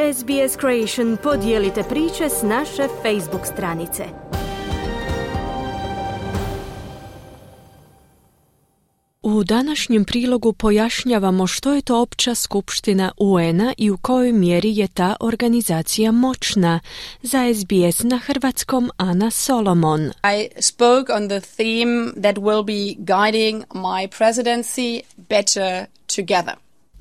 SBS Creation podijelite priče s naše Facebook stranice. U današnjem prilogu pojašnjavamo što je to Opća skupština UN-a i u kojoj mjeri je ta organizacija moćna. Za SBS na hrvatskom Ana Solomon. I spoke on the theme that will be guiding my presidency, Better Together.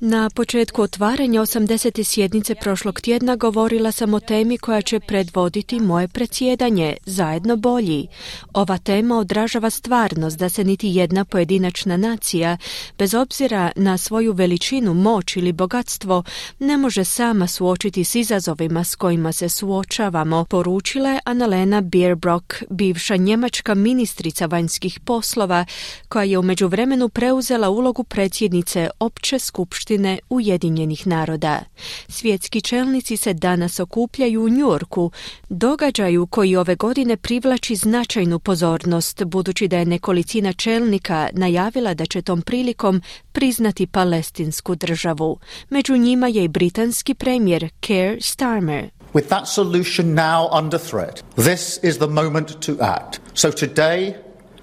Na početku otvaranja 80. sjednice prošlog tjedna govorila sam o temi koja će predvoditi moje predsjedanje, zajedno bolji. Ova tema odražava stvarnost da se niti jedna pojedinačna nacija, bez obzira na svoju veličinu, moć ili bogatstvo, ne može sama suočiti s izazovima s kojima se suočavamo, poručila je Annalena Baerbock, bivša njemačka ministrica vanjskih poslova, koja je u međuvremenu preuzela ulogu predsjednice Opće skupštine Ujedinjenih naroda. Svjetski čelnici se danas okupljaju u New Yorku, događaju koji ove godine privlači značajnu pozornost, budući da je nekolicina čelnika najavila da će tom prilikom priznati palestinsku državu. Među njima je i britanski premijer Keir Starmer. With that solution now under threat, this is the moment to act. So today,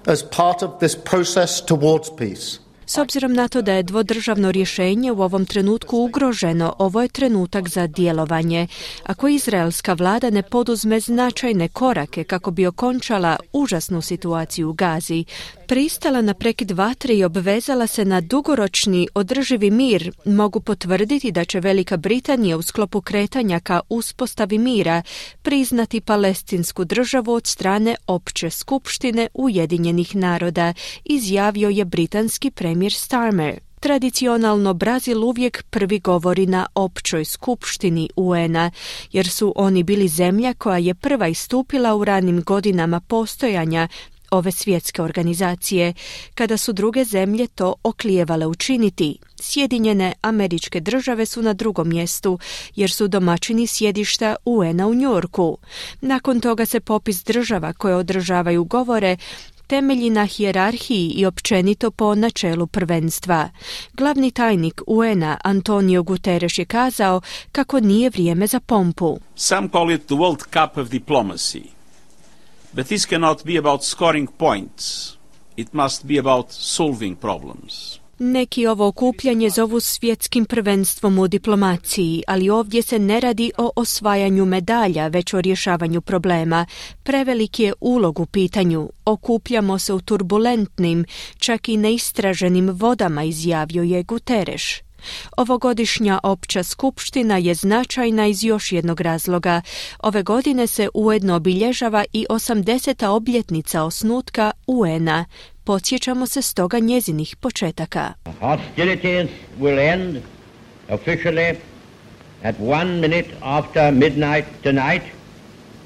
as part of this process towards peace, S obzirom na to da je dvodržavno rješenje u ovom trenutku ugroženo, ovo je trenutak za djelovanje. Ako izraelska vlada ne poduzme značajne korake kako bi okončala užasnu situaciju u Gazi, pristala na prekid vatre i obvezala se na dugoročni održivi mir, mogu potvrditi da će Velika Britanija u sklopu kretanja ka uspostavi mira priznati palestinsku državu od strane Opće skupštine Ujedinjenih naroda, izjavio je britanski premijer Starmer. Tradicionalno Brazil uvijek prvi govori na Općoj skupštini UN-a, jer su oni bili zemlja koja je prva istupila u ranim godinama postojanja ove svjetske organizacije, kada su druge zemlje to oklijevale učiniti. Sjedinjene Američke Države su na drugom mjestu, jer su domaćini sjedišta UN-a u New Yorku. Nakon toga se popis država koje održavaju govore temelji na hijerarhiji i općenito po načelu prvenstva. Glavni tajnik UN-a Antonio Guterres je kazao kako nije vrijeme za pompu. Some call it the World Cup of diplomacy. But this cannot be about scoring points. It must be about solving problems. Neki ovo okupljanje zovu svjetskim prvenstvom u diplomaciji, ali ovdje se ne radi o osvajanju medalja, već o rješavanju problema. Prevelik je ulog u pitanju. Okupljamo se u turbulentnim, čak i neistraženim vodama, izjavio je Guterres. Ovogodišnja Opća skupština je značajna iz još jednog razloga. Ove godine se ujedno obilježava i 80. obljetnica osnutka UN-a. Podsjećamo se stoga njezinih početaka. Hostilities will end officially at 1 minute after midnight tonight,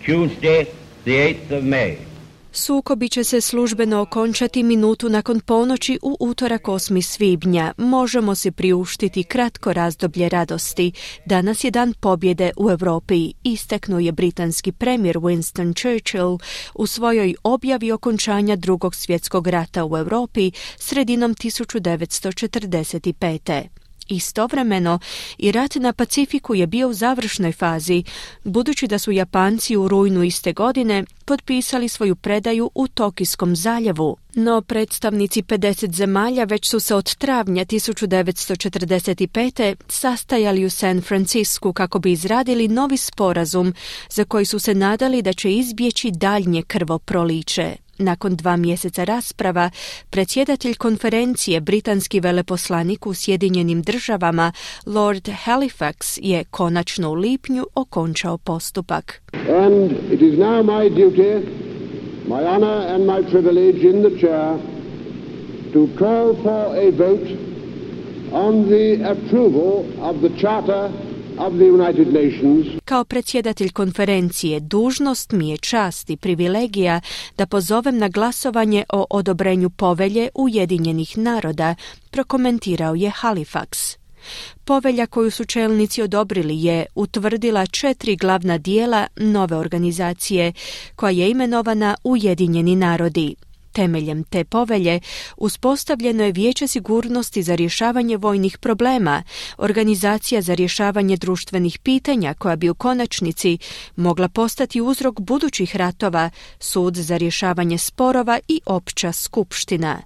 Tuesday, the 8th of May. Sukobi će se službeno okončati minutu nakon ponoći u utorak 8. svibnja. Možemo si priuštiti kratko razdoblje radosti. Danas je dan pobjede u Europi, istaknuo je britanski premijer Winston Churchill u svojoj objavi okončanja Drugog svjetskog rata u Europi sredinom 1945. Istovremeno, i rat na Pacifiku je bio u završnoj fazi, budući da su Japanci u rujnu iste godine potpisali svoju predaju u Tokijskom zaljevu. No predstavnici 50 zemalja već su se od travnja 1945. sastajali u San Francisku kako bi izradili novi sporazum za koji su se nadali da će izbjeći daljnje krvoproliće. Nakon 2 mjeseca rasprava, predsjedatelj konferencije, britanski veleposlanik u Sjedinjenim državama, Lord Halifax, je konačno u lipnju okončao postupak. And it is now my duty, my honor and my privilege in the chair to call for a vote on the approval of the Charter of the United Nations. Kao predsjedatelj konferencije, dužnost mi je čast i privilegija da pozovem na glasovanje o odobrenju povelje Ujedinjenih naroda, prokomentirao je Halifax. Povelja koju su čelnici odobrili je utvrdila 4 glavna dijela nove organizacije, koja je imenovana Ujedinjeni narodi. Temeljem te povelje uspostavljeno je Vijeće sigurnosti za rješavanje vojnih problema, organizacija za rješavanje društvenih pitanja koja bi u konačnici mogla postati uzrok budućih ratova, sud za rješavanje sporova i opća skupština.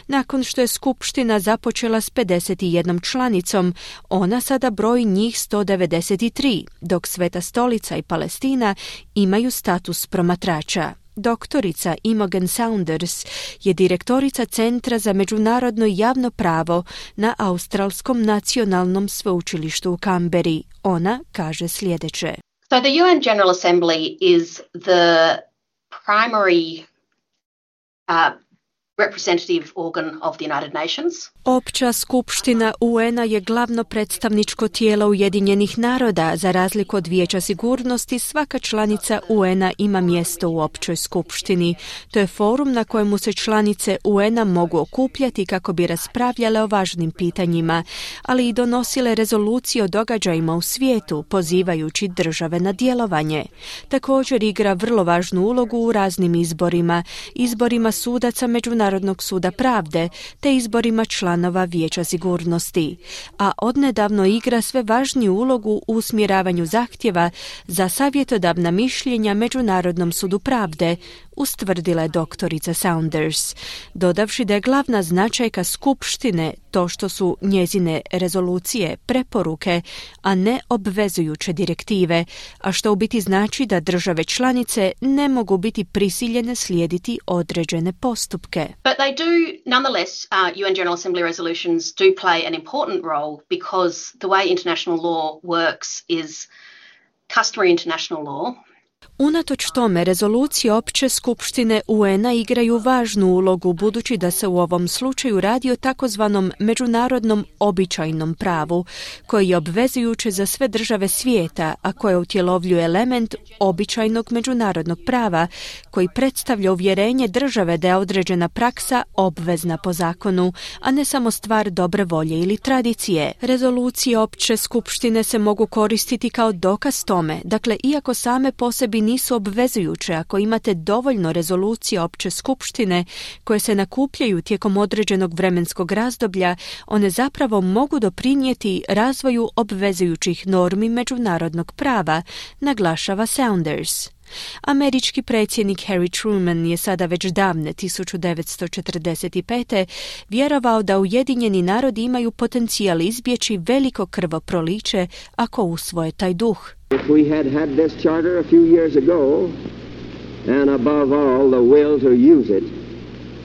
Nakon što je skupština započela s 51 članicom, ona sada broji njih 193, dok Sveta stolica i Palestina imaju status promatrača. Doktorica Imogen Saunders je direktorica Centra za međunarodno javno pravo na Australskom nacionalnom sveučilištu u Kamberi. Ona kaže sljedeće. So the UN General Assembly is the primary representative organ of the United Nations. Opća skupština UN-a je glavno predstavničko tijelo Ujedinjenih naroda. Za razliku od Vijeća sigurnosti, svaka članica UN-a ima mjesto u općoj skupštini. To je forum na kojemu se članice UN-a mogu okupljati kako bi raspravljale o važnim pitanjima, ali i donosile rezolucije o događajima u svijetu, pozivajući države na djelovanje. Također igra vrlo važnu ulogu u raznim izborima sudaca Međunarodnog suda pravde, te izborima članova Vijeća sigurnosti, a odnedavno igra sve važniju ulogu u usmjeravanju zahtjeva za savjetodavna mišljenja Međunarodnom sudu pravde, ustvrdila je doktorica Saunders, dodavši da je glavna značajka skupštine to što su njezine rezolucije preporuke, a ne obvezujuće direktive, a što u biti znači da države članice ne mogu biti prisiljene slijediti određene postupke. But they do, nonetheless, UN General Assembly resolutions do play an important role because the way international law works is customary international law. Unatoč tome, rezolucije opće skupštine UN-a igraju važnu ulogu budući da se u ovom slučaju radi o takozvanom međunarodnom običajnom pravu, koji je obvezujuće za sve države svijeta, a koje utjelovljuje element običajnog međunarodnog prava, koji predstavlja uvjerenje države da je određena praksa obvezna po zakonu, a ne samo stvar dobre volje ili tradicije. Rezolucije opće skupštine se mogu koristiti kao dokaz tome, dakle, iako same po sebi nisu obvezujuće, ako imate dovoljno rezolucija opće skupštine koje se nakupljaju tijekom određenog vremenskog razdoblja, one zapravo mogu doprinijeti razvoju obvezujućih normi međunarodnog prava, naglašava Saunders. Američki predsjednik Harry Truman je sada već davne 1945. vjerovao da Ujedinjeni narodi imaju potencijal izbjeći veliko krvoproliće ako usvoje taj duh. If we had this charter a few years ago, and above all the will to use it,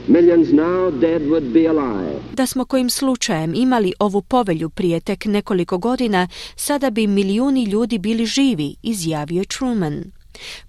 millions now dead would be alive. Da smo kojim slučajem imali ovu povelju prije tek nekoliko godina, sada bi milijuni ljudi bili živi, izjavio Truman.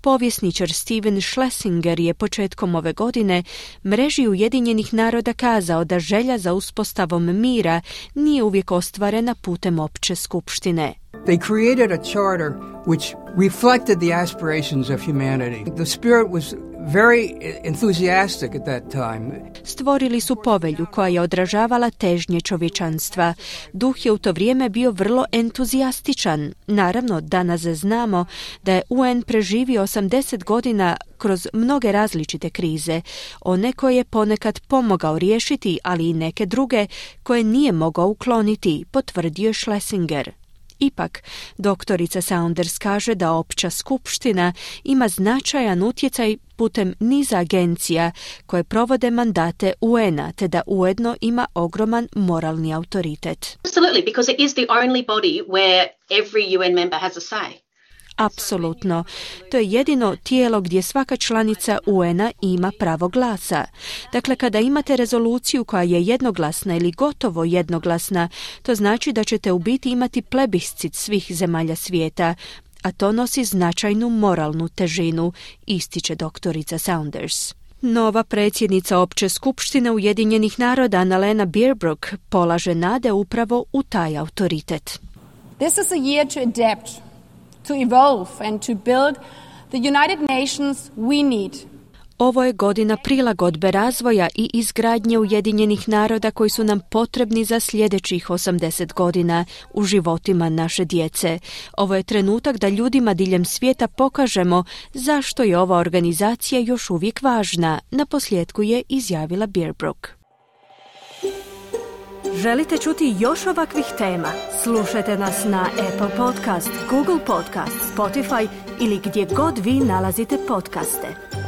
Povjesničar Steven Schlesinger je početkom ove godine mreži Ujedinjenih naroda kazao da želja za uspostavom mira nije uvijek ostvarena putem opće skupštine. They created a charter which reflected the aspirations of humanity. The spirit was very enthusiastic at that time. Stvorili su povelju koja je odražavala težnje čovječanstva. Duh je u to vrijeme bio vrlo entuzijastičan. Naravno, danas znamo da je UN preživio 80 godina kroz mnoge različite krize. One koje je ponekad pomogao riješiti, ali i neke druge koje nije mogao ukloniti, potvrdio Schlesinger. Ipak, doktorica Saunders kaže da opća skupština ima značajan utjecaj putem niza agencija koje provode mandate UN-a, te da ujedno ima ogroman moralni autoritet. Absolutely, because it is the only body where every UN member has a say. Apsolutno. To je jedino tijelo gdje svaka članica UN-a ima pravo glasa. Dakle, kada imate rezoluciju koja je jednoglasna ili gotovo jednoglasna, to znači da ćete u biti imati plebiscit svih zemalja svijeta, a to nosi značajnu moralnu težinu, ističe doktorica Saunders. Nova predsjednica opće skupštine Ujedinjenih naroda Annalena Baerbock polaže nade upravo u taj autoritet. This is a year to adapt, to evolve and to build the United Nations we need. Ovo je godina prilagodbe razvoja i izgradnje Ujedinjenih naroda koji su nam potrebni za sljedećih 80 godina u životima naše djece. Ovo je trenutak da ljudima diljem svijeta pokažemo zašto je ova organizacija još uvijek važna, naposljetku je izjavila Bearbrook. Želite čuti još ovakvih tema? Slušajte nas na Apple Podcast, Google Podcast, Spotify ili gdje god vi nalazite podcaste.